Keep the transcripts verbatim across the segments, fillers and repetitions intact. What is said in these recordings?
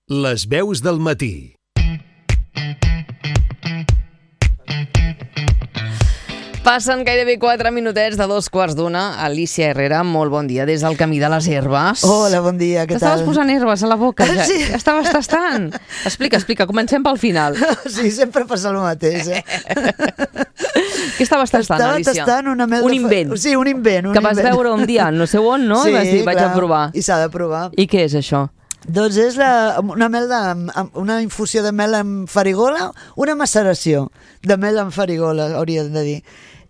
Les veus del matí. Passen gairebé quatre minutets de dos quarts d'una. Alicia Herrera, molt bon dia des del camí de les herbes. Hola, bon dia, què tal? T'estaves posant herbes a la boca, ja, Sí. ja estaves tastant. Explica, explica, comencem pel final. Sí, sempre passa el mateix, eh? Què estaves tastant, Estava Alicia? tastant una mel Un de fa- invent. Sí, un invent. Un Que vas invent. veure un dia, no sé on, no? Sí, I vas dir, vaig clar, a provar. I s'ha de provar. I què és això? Doncs és la, una mel de, amb- una infusió de mel amb farigola, una maceració de mel amb farigola, hauríem de dir.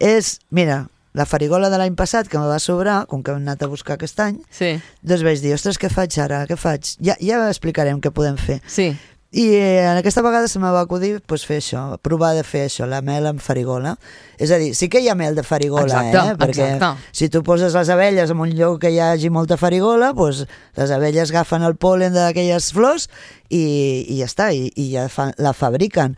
És, mira, la farigola de l'any passat, que me va sobrar, com que hem anat a buscar aquest any, Sí, doncs vaig dir, ostres, què faig ara? Què faig? Ja, ja explicarem què podem fer. sí. I eh, aquesta vegada se me va acudir pues, fer això, provar de fer això, la mel amb farigola. És a dir, sí que hi ha mel de farigola, Exacte, eh? Perquè exacte. si tu poses les abelles en un lloc que hi hagi molta farigola, pues, les abelles agafen el pol·len d'aquelles flors i, i ja està, i, i ja fa, la fabriquen.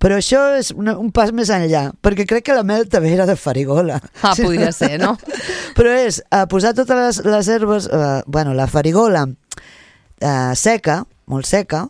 Però això és una, un pas més enllà, perquè crec que la mel també era de farigola. Ah, podria ser, no? Però és eh, posar totes les, les herbes, eh, bueno, la farigola eh, seca, molt seca,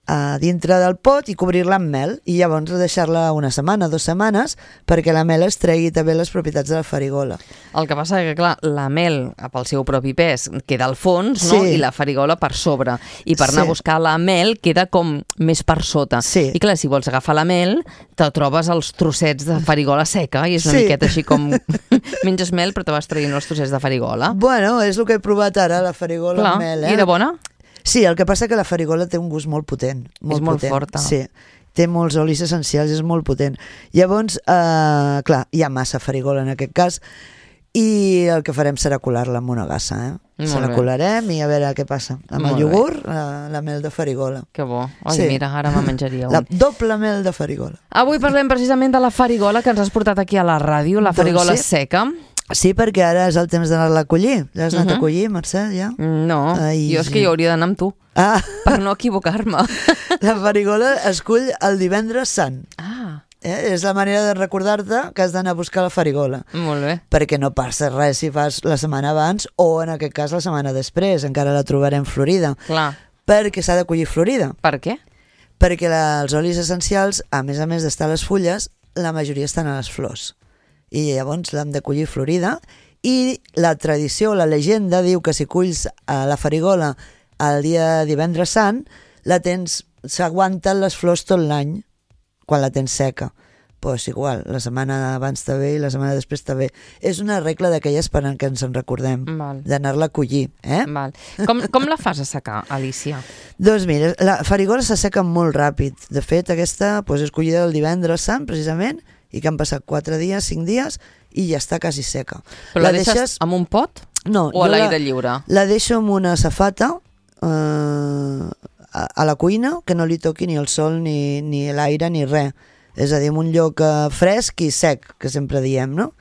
a dintre del pot i cobrir-la amb mel i llavors deixar-la una setmana, dues setmanes perquè la mel es tregui també les propietats de la farigola. El que passa és que, clar, la mel, pel seu propi pes, queda al fons, no? Sí. I la farigola per sobre. I per anar Sí. a buscar la mel queda com més per sota. Sí. I clar, si vols agafar la mel, te trobes els trossets de farigola seca i és una Sí. miqueta així com... Menges mel però te vas traient els trossets de farigola. Bueno, és el que he provat ara, la farigola Clar, amb mel. Eh? i era bona? Sí, el que passa que la farigola té un gust molt potent. Molt És molt potent. forta. Sí, té molts olis essencials, és molt potent. Llavors, eh, clar, hi ha massa farigola en aquest cas i el que farem serà colar-la amb una gassa, eh? Molt Se la bé. colarem i a veure què passa. Amb Molt el iogurt, la, la mel de farigola. Que bo. Ai, Sí. mira, ara me menjaria un. La doble mel de farigola. Avui parlem precisament de la farigola que ens has portat aquí a la ràdio, la Doncs farigola sí. seca. Sí, perquè ara és el temps d'anar-la a collir. Ja has anat Mhm. a collir, Mercè, ja? No, Ai, jo és que sí. jo hauria d'anar amb tu, Ah, per no equivocar-me. la farigola es cull el divendres sant. Ah, Eh? És la manera de recordar-te que has d'anar a buscar la farigola. molt bé. Perquè no passa res si fas la setmana abans o en aquest cas la setmana després, encara la trobarem florida, Clar. perquè s'ha de collir florida, Per què? perquè la, els olis essencials, a més a més d'estar a les fulles, la majoria estan a les flors i llavors l'hem de collir florida i la tradició, la llegenda diu que si culls a la farigola el dia divendres sant, la tens, s'aguanten les flors tot l'any quan la tens seca. Pues igual, la setmana abans està bé i la setmana després està bé. És una regla d'aquelles per en què ens en recordem, Val. d'anar-la a collir. Eh? Val. Com, com la fas a secar, Alicia? Doncs mira, la farigola s'asseca molt ràpid. De fet, aquesta pues, és collida el divendres sant, precisament, i que han passat quatre dies, cinc dies, i ja està quasi seca. Però la, la deixes amb un pot No, o a jo l'aire la, lliure? la deixo amb una safata eh, a, a la cuina, que no li toqui ni el sol, ni, ni l'aire, ni res. És a dir, en un lloc eh, fresc i sec, que sempre diem, no?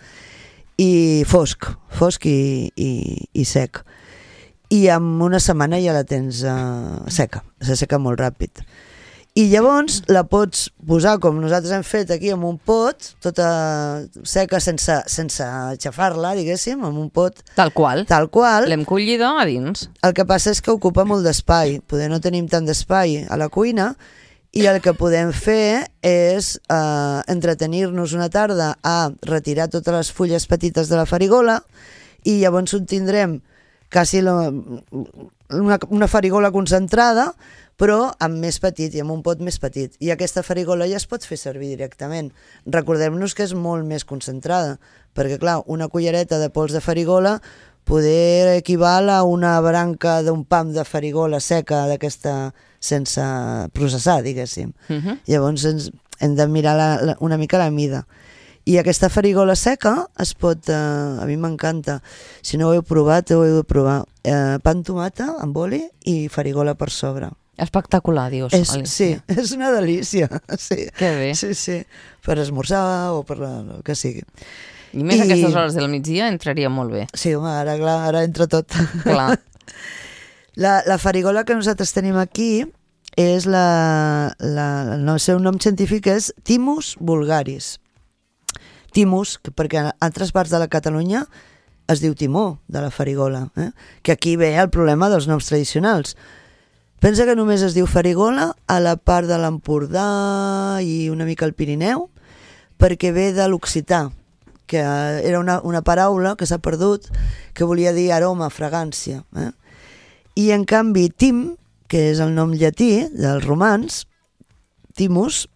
I fosc, fosc i, i, i sec. I en una setmana ja la tens eh, seca, s'asseca molt ràpid. I llavors la pots posar com nosaltres hem fet aquí en un pot, tota seca sense, sense aixafar-la, diguéssim, en un pot Tal qual. tal qual. L'hem collida a dins. El que passa és que ocupa molt d'espai, poder no tenim tant d'espai a la cuina i el que podem fer és eh, entretenir-nos una tarda a retirar totes les fulles petites de la farigola i llavors ho tindrem quasi la, una, una farigola concentrada però amb més petit i amb un pot més petit. I aquesta farigola ja es pot fer servir directament. Recordem-nos que és molt més concentrada, perquè clar, una cullereta de pols de farigola poder equival a una branca d'un pam de farigola seca d'aquesta sense processar, diguéssim. Uh -huh. Llavors ens, hem de mirar la, la, una mica la mida. I aquesta farigola seca es pot... Eh, a mi m'encanta. Si no ho heu provat, ho heu de provar. Eh, pa amb tomata, amb oli i farigola per sobre. Espectacular, dius, És, Alicia. sí, és una delícia. Sí. Que bé. Sí, sí. Per esmorzar o per la, el que sigui. I més I- a aquestes hores del migdia entraria molt bé. Sí, home, ara, clar, ara entra tot. Clar. La, la farigola que nosaltres tenim aquí és la, la, el seu nom científic és Thymus vulgaris. Thymus, que perquè en altres parts de la Catalunya es diu timó de la farigola, eh? Que aquí ve el problema dels noms tradicionals. Pensa que només es diu farigola a la part de l'Empordà i una mica al Pirineu, perquè ve de l'occità, que era una, una paraula que s'ha perdut, que volia dir aroma, fragància. Eh? I en canvi tim, que és el nom llatí dels romans, timus,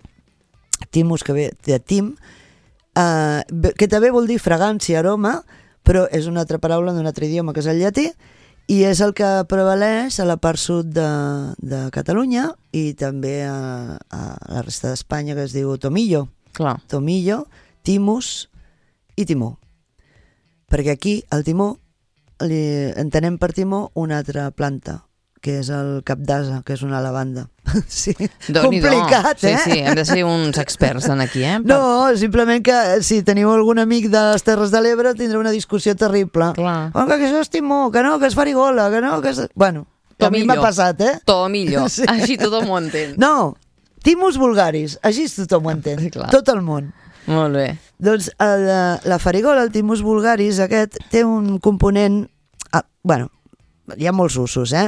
timus que ve de tim, eh, que també vol dir fragància, aroma, però és una altra paraula d'un altre idioma que és el llatí, i és el que prevaleix a la part sud de, de Catalunya i també a, a la resta d'Espanya, que es diu tomillo. Clar. Tomillo, timus i timó. Perquè aquí el timó li entenem per timó una altra planta, que és el cap d'ase, que és una lavanda. Sí, complicat, eh? Sí, sí, hem de ser uns experts en aquí, eh? No, simplement que si teniu algun amic de les Terres de l'Ebre tindrà una discussió terrible. Clar. Oh, que això és timó, que no, que és farigola, que no, que és... Bueno, a mi m'ha passat, eh? Tomillo, Sí. així tothom ho entén. No, timus vulgaris, així tothom ho entén, Clar. tot el món. Molt bé. Doncs el, la farigola, el timus vulgaris, aquest té un component... Ah, bueno, hi ha molts usos, eh?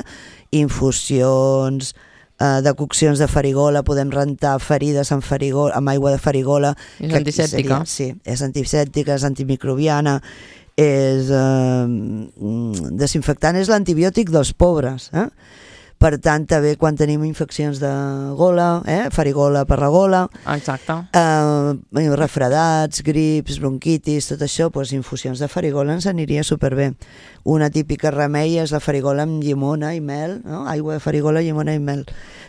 Infusions, eh, decoccions de farigola, podem rentar ferides amb, farigola, amb aigua de farigola. És antisèptica. Seria, sí, és antisèptica, és antimicrobiana, és eh, desinfectant, és l'antibiòtic dels pobres, eh? Per tant, també quan tenim infeccions de gola, eh? Farigola per la gola, Exacte. eh, refredats, grips, bronquitis, tot això, doncs, infusions de farigola ens aniria superbé. Una típica remei és la farigola amb llimona i mel, no? Aigua de farigola, llimona i mel.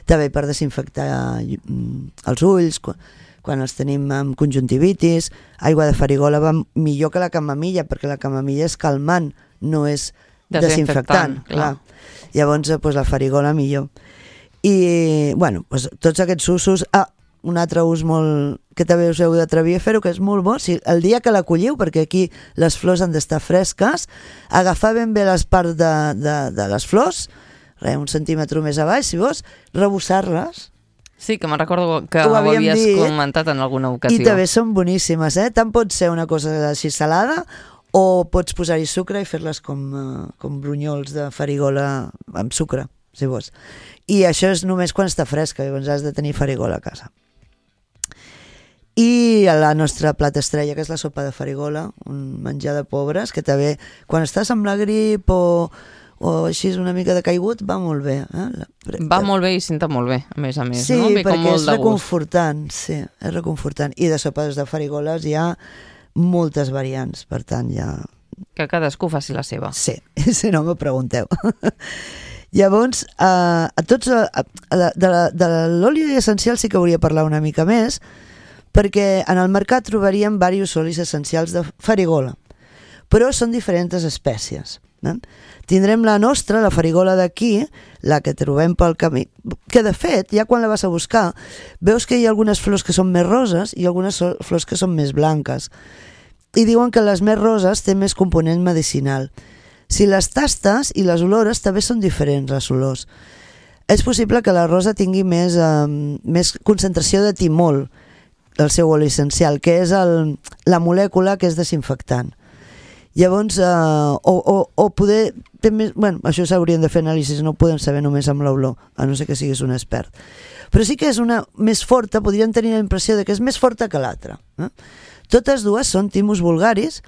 També per desinfectar els ulls, quan els tenim amb conjuntivitis. Aigua de farigola va millor que la camamilla, perquè la camamilla és calmant, no és desinfectant. Clar. Llavors, doncs, la farigola millor. I, bueno, doncs, tots aquests usos... Ah, un altre ús molt que també us heu d'atrevir a fer-ho, que és molt bo, si el dia que la colliu, perquè aquí les flors han d'estar fresques, agafar ben bé les parts de, de, de les flors, res, un centímetre més a baix, si vols, rebossar-les. Sí, que me'n recordo que Ho ho havíem havies dit, comentat en alguna ocasió. I també són boníssimes, eh? Tant pot ser una cosa així salada, o pots posar-hi sucre i fer-les com, uh, com brunyols de farigola amb sucre, si vols. I això és només quan està fresca, llavors has de tenir farigola a casa. I la nostra plat estrella, que és la sopa de farigola, un menjar de pobres, que també quan estàs amb la grip o, o així una mica de caigut, va molt bé. Eh? Va molt bé i senta molt bé, a més a més. Sí, no? Ve com perquè molt és de gust. reconfortant, sí, és reconfortant. I de sopes de farigoles hi ha moltes variants, per tant ja... Que cadascú faci la seva. Sí, si no m'ho pregunteu. Llavors, eh, a tots, a, a, de, de l'oli essencial sí que hauria de parlar una mica més, perquè en el mercat trobaríem diversos olis essencials de farigola, però són diferents espècies. Eh? Tindrem la nostra, la farigola d'aquí, la que trobem pel camí, que de fet, ja quan la vas a buscar, veus que hi ha algunes flors que són més roses i algunes flors que són més blanques. I diuen que les més roses té més component medicinal. Si les tastes i les olores també són diferents, les olors. És possible que la rosa tingui més, eh, més concentració de timol, del seu oli essencial, que és el, la molècula que és desinfectant. Llavors, eh, o, o, o poder... Més, bueno, això s'haurien de fer anàlisis, no ho podem saber només amb l'olor, a no ser que siguis un expert. Però sí que és una més forta, podríem tenir la impressió de que és més forta que l'altra. Eh? Totes dues són timus vulgaris,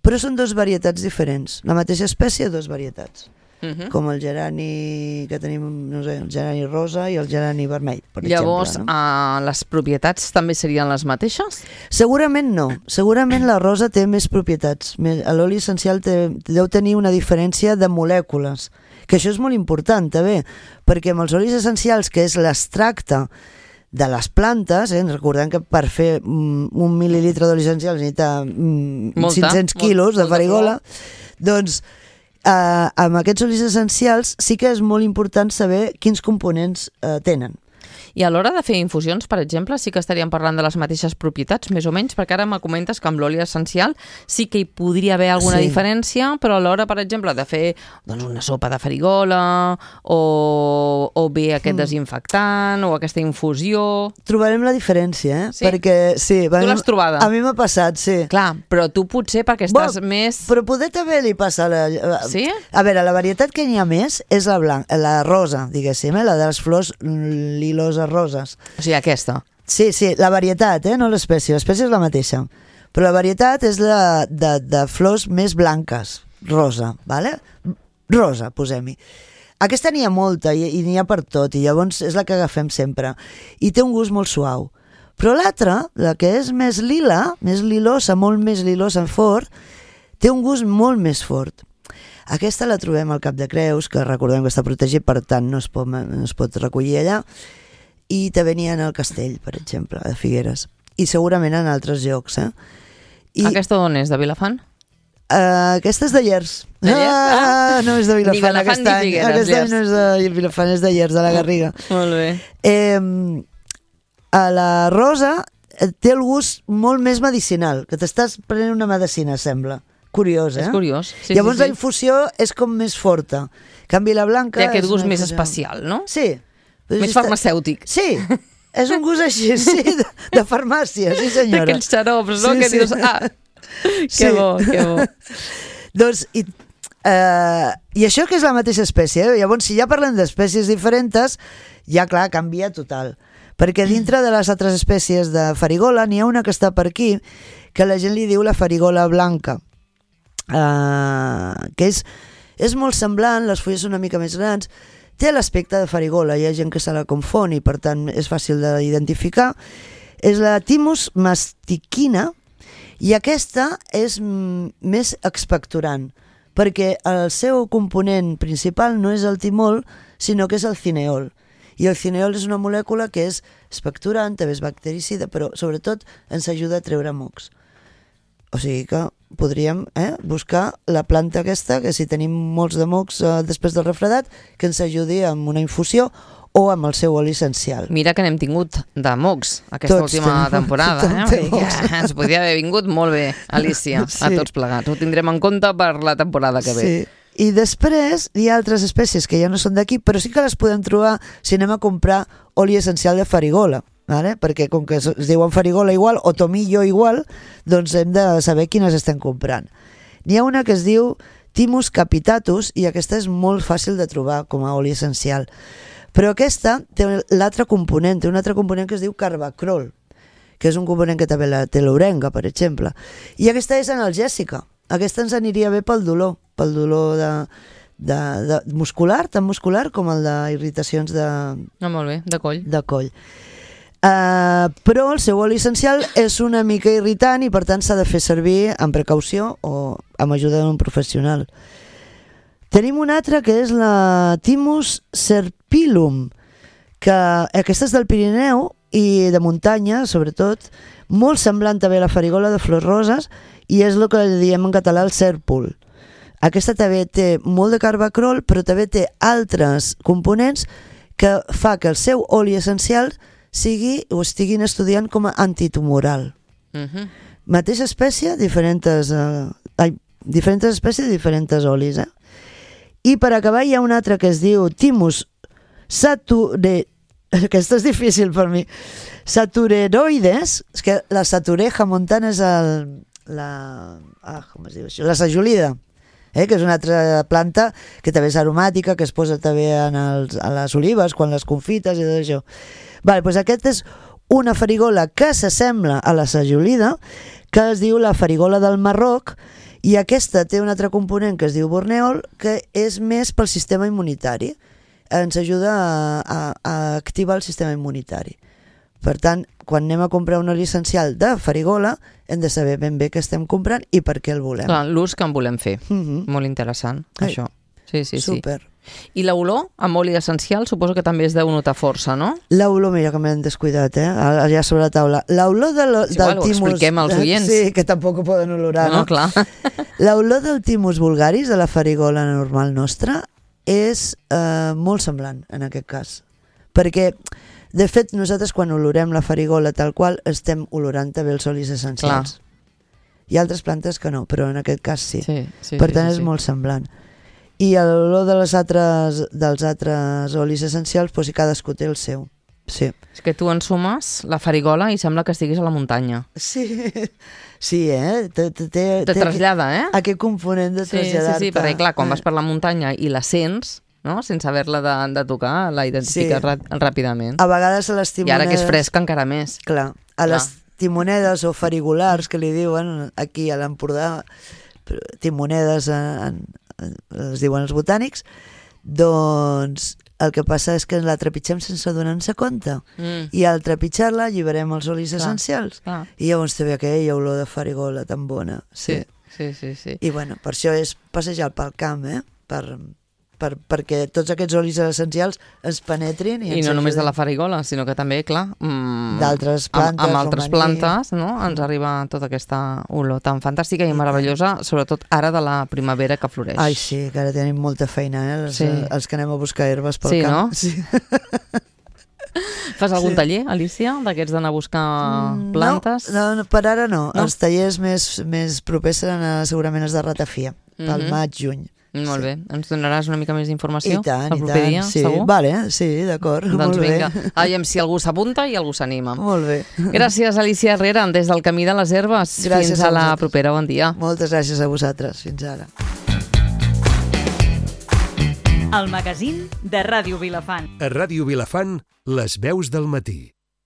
però són dues varietats diferents. La mateixa espècie, dues varietats. Uh-huh. Com el gerani que tenim, no sé, el gerani rosa i el gerani vermell, per Llavors, exemple. No? Uh, les propietats també serien les mateixes? Segurament no. Segurament la rosa té més propietats. L'oli essencial té, deu tenir una diferència de molècules, que això és molt important també, perquè amb els olis essencials, que és l'extracte de les plantes, eh, recordem que per fer mm, un mil·lilitre d'oli essencial necessita mm, molta, cinc-cents quilos molt, de farigola, doncs Uh, amb aquests olis essencials sí que és molt important saber quins components uh, tenen. I a l'hora de fer infusions, per exemple, sí que estaríem parlant de les mateixes propietats, més o menys, perquè ara me comentes que amb l'oli essencial sí que hi podria haver alguna Sí. diferència, però a l'hora, per exemple, de fer doncs, una sopa de farigola o, o bé aquest Mm. desinfectant o aquesta infusió... Trobarem la diferència, eh? Sí? Perquè, sí, Tu l'has trobada? A mi m'ha passat, sí. Clar, però tu potser perquè estàs Bueno, més... Però poder també li passa... La... Sí? A veure, la varietat que n'hi ha més és la blanca, la rosa, diguéssim, eh? La de les flors liloses roses. O sigui, aquesta. Sí, sí, la varietat, eh? No l'espècie, l'espècie és la mateixa. Però la varietat és la de, de flors més blanques, rosa, vale? Rosa, posem-hi. Aquesta n'hi ha molta i, i n'hi ha per tot, i llavors és la que agafem sempre. I té un gust molt suau. Però l'altra, la que és més lila, més lilosa, molt més lilosa en fort, té un gust molt més fort. Aquesta la trobem al Cap de Creus, que recordem que està protegit, per tant no es pot, no es pot recollir allà, i també n'hi ha en el Castell, per exemple, de Figueres. I segurament en altres llocs, eh? I, Aquesta d'on és, de Vilafant? Uh, aquesta és de Llers. De Llers? Ah, no és de Vilafant. Ni Vilafant aquest ni any. Figueres, Aquest Llers. any no és de Vilafant, és de Llers, de la Garriga. Molt bé. Eh, a la rosa eh, té el gust molt més medicinal, que t'estàs prenent una medicina, sembla. Curiós, eh? És curiós. Sí, Llavors sí, la sí. infusió és com més forta. En canvi la blanca... Té aquest és gust una més infusió- especial, no? Sí. Més farmacèutic. Sí, és un gust així, sí, de, de farmàcia, sí senyora. D'aquells xarops, no? Sí, que sí. dius, ah, que Sí. bo, que bo. Doncs, i, eh, i això que és la mateixa espècie, eh? Llavors, si ja parlem d'espècies diferents, ja, clar, canvia total. Perquè dintre de les altres espècies de farigola n'hi ha una que està per aquí, que la gent li diu la farigola blanca, eh, que és, és molt semblant, les fulles són una mica més grans, té l'aspecte de farigola, hi ha gent que se la confon i per tant és fàcil d'identificar. És la Thymus mastiquina, i aquesta és mm, més expectorant, perquè el seu component principal no és el timol, sinó que és el cineol. I el cineol és una molècula que és expectorant, també és bactericida, però sobretot ens ajuda a treure mocs. O sigui que podríem eh, buscar la planta aquesta, que si tenim molts de mocs eh, després del refredat, que ens ajudi amb una infusió o amb el seu oli essencial. Mira que n'hem tingut de mocs aquesta Tots última tenim- temporada. tothom Eh? té Vull dir mocs. que ens podria haver vingut molt bé, Alicia, a Sí. tots plegats. Ho tindrem en compte per la temporada que ve. Sí. I després hi ha altres espècies que ja no són d'aquí, però sí que les podem trobar si anem a comprar oli essencial de farigola, vale? Perquè com que es es diuen farigola igual o tomillo igual, doncs hem de saber quines estem comprant. N'hi ha una que es diu Thymus capitatus i aquesta és molt fàcil de trobar com a oli essencial. Però aquesta té l'altre component, té un altre component que es diu carbacrol, que és un component que també la té l'orenga, per exemple. I aquesta és analgèsica. Aquesta ens aniria bé pel dolor, pel dolor de, de, de muscular, tan muscular com el d'irritacions de, Ah, molt bé, de coll. de coll. Uh, però el seu oli essencial és una mica irritant i per tant s'ha de fer servir amb precaució o amb ajuda d'un professional. Tenim una altra que és la Thymus serpyllum, que aquesta és del Pirineu i de muntanya, sobretot, molt semblant també a la farigola de flors roses i és el que diem en català el cèrpol. Aquesta també té molt de carbacrol, però també té altres components que fa que el seu oli essencial sigui o estiguin estudiant com a antitumoral. Uh -huh. Mateixa espècie, diferents, eh, ai, diferents espècies, diferents olis. Eh? I per acabar hi ha un altre que es diu Thymus sature... Aquesta és difícil per mi. Satureroides, és que la satureja montana és el, la... Ah, com es diu això? La sajolida, eh? Que és una altra planta que també és aromàtica, que es posa també en, els, en les olives quan les confites i tot això. Vale, doncs aquest és una farigola que s'assembla a la sajolida, que es diu la farigola del Marroc, i aquesta té un altre component que es diu borneol, que és més pel sistema immunitari. Ens ajuda a, a, a activar el sistema immunitari. Per tant, quan anem a comprar un oli essencial de farigola, hem de saber ben bé què estem comprant i per què el volem. Clar, l'ús que en volem fer. Mhm. Molt interessant, Ai. això. Sí, sí, sí. Super. I l'olor amb oli essencial suposo que també es deu notar força, no? L'olor, mira que m'hem descuidat, eh? Allà sobre la taula. L'olor de lo, És igual, del ho Thymus... expliquem als oients. Sí, que tampoc ho poden olorar, No, no? clar. L'olor del Thymus vulgaris, de la farigola normal nostra, és eh, molt semblant en aquest cas. Perquè De fet, nosaltres quan olorem la farigola tal qual, estem olorant també els olis essencials. Clar. Hi ha altres plantes que no, però en aquest cas sí. Sí, sí, per sí, tant, sí, és sí. molt semblant. I l'olor de les altres, dels altres olis essencials, doncs, cadascú té el seu. Sí. És que tu ensumes la farigola i sembla que estiguis a la muntanya. Sí, sí, eh? Te, te, te, Te trasllada, eh? Aquest component de Sí, sí, traslladar-te. sí, perquè clar, quan vas per la muntanya i la sents, no? Sense haver-la de, de tocar, la identifiques Sí. ràpidament. A vegades a les I timonedes... ara que és fresca encara més. Clar, a Clar. les timonedes o farigolars que li diuen aquí a l'Empordà, timonedes en, en, es diuen els botànics, doncs el que passa és que la trepitgem sense donar-nos compte. Mm. I al trepitjar-la alliberem els olis Clar, essencials. clar. I llavors té aquella olor de farigola tan bona. Sí. Sí, sí, sí. I bueno, per això és passejar pel camp, eh? Per, per, perquè tots aquests olis essencials ens penetrin. I, I ens no només de ajuden. la farigola, sinó que també, clar, mm, D'altres plantes, amb, amb altres romaní. plantes, no? Ens arriba tota aquesta olor tan fantàstica i meravellosa, sobretot ara de la primavera que floreix. Ai, sí, que ara tenim molta feina, eh? Els, Sí. els que anem a buscar herbes pel Sí, camp. no? Sí. Fas algun Sí. taller, Alicia, d'aquests d'anar a buscar plantes? No, no, per ara no. No? Els tallers més, més propers seran a, segurament els de ratafia, pel Mhm. maig, juny. Molt Sí. bé. Ens donaràs una mica més d'informació I tant, el i proper tant. dia, sí. segur? Vale, sí, d'acord. Doncs molt vinga, bé. aviam si algú s'apunta i algú s'anima. Molt bé. Gràcies, Alicia Herrera, des del Camí de les Herbes. Gràcies Fins a a la vosaltres. propera, bon dia. Moltes gràcies a vosaltres. Fins ara. El magazín de Ràdio Vilafant. A Ràdio Vilafant, les veus del matí.